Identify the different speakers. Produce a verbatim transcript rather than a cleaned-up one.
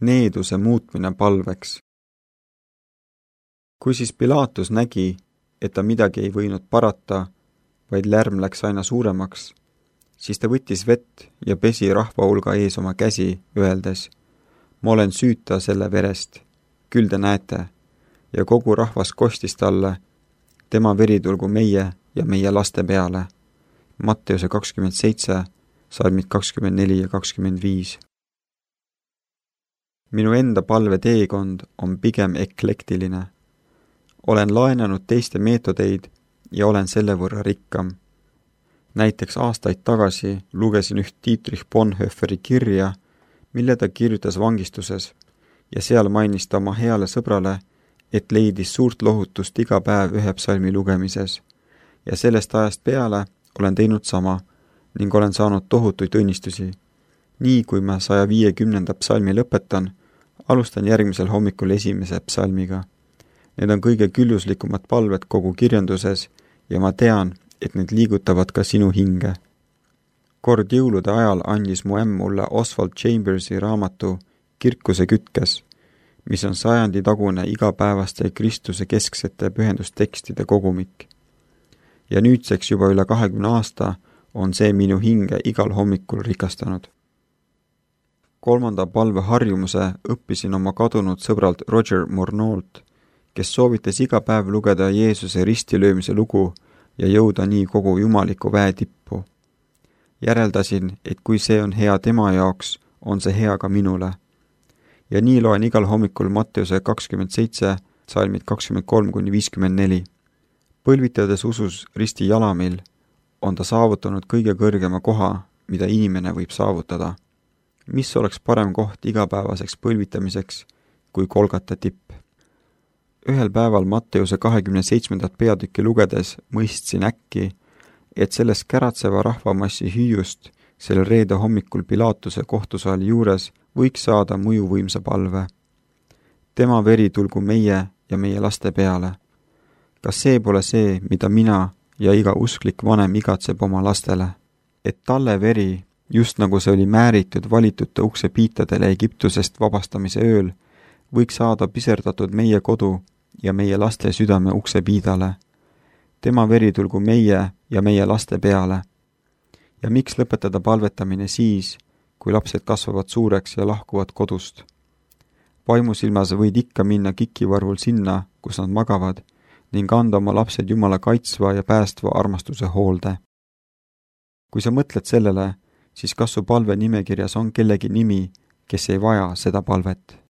Speaker 1: Needuse muutmine palveks. Kui siis Pilaatus nägi, et ta midagi ei võinud parata, vaid lärm läks aina suuremaks, siis ta võttis vett ja pesi rahva hulga ees oma käsi, öeldes, ma olen süüta selle verest, küll te näete, ja kogu rahvas kostis talle, tema veri tulgu meie ja meie laste peale. Matteuse kakskümmend seitse, salmid kakskümmend neli ja kakskümmend viis. Minu enda palve teekond on pigem eklektiline. Olen laenanud teiste meetodeid ja olen selle võrra rikkam. Näiteks aastaid tagasi lugesin üht Dietrich Bonhoefferi kirja, mille ta kirjutas vangistuses ja seal mainis ta oma heale sõbrale, et leidis suurt lohutust iga päev ühe psalmi lugemises ja sellest ajast peale olen teinud sama ning olen saanud tohutuid õnnistusi. Nii kui ma saja viiekümnenda psalmi lõpetan, alustan järgmisel hommikul esimese psalmiga. Need on kõige külluslikumad palved kogu kirjanduses ja ma tean, et need liigutavad ka sinu hinge. Kord jõulude ajal andis mu ämm mulle Oswald Chambersi raamatu Kirkuse kütkes, mis on sajandi tagune igapäevaste Kristuse kesksete pühendustekstide kogumik. Ja nüüdseks juba üle kahekümne aasta on see minu hinge igal hommikul rikastanud. Kolmanda palve harjumuse õppisin oma kadunud sõbralt Roger Morneault, kes soovitas iga päev lugeda Jeesuse ristilöömise lugu ja jõuda nii kogu jumaliku väe tippu. Järeldasin, et kui see on hea tema jaoks, on see hea ka minule. Ja nii loen igal hommikul Matteuse kakskümmend seitse, salmid kakskümmend kolm kuni viiskümmend neli. Põlvitades usus risti jalamil, on ta saavutanud kõige kõrgema koha, mida inimene võib saavutada. Mis oleks parem koht igapäevaseks põlvitamiseks kui Kolgata tipp? Ühel päeval Matteuse kahekümne seitsmendat peatükki lugedes mõistsin äkki, et sellest käratseva rahvamassi hüüust selle reede hommikul Pilaatuse kohtusaali juures võiks saada mõjuvõimsa palve. Tema veri tulgu meie ja meie laste peale. Kas see pole see, mida mina ja iga usklik vanem igatseb oma lastele? Et talle veri, just nagu see oli määritud valitute ukse piitadele Egiptusest vabastamise ööl, võiks saada piserdatud meie kodu ja meie laste südame ukse piidale. Tema veri tulgu meie ja meie laste peale. Ja miks lõpetada palvetamine siis, kui lapsed kasvavad suureks ja lahkuvad kodust? Vaimusilmas võid ikka minna kikivarvul sinna, kus nad magavad, ning anda oma lapsed Jumala kaitsva ja päästva armastuse hoolde. Kui sa mõtled sellele, siis kas su palve nimekirjas on kellegi nimi, kes ei vaja seda palvet?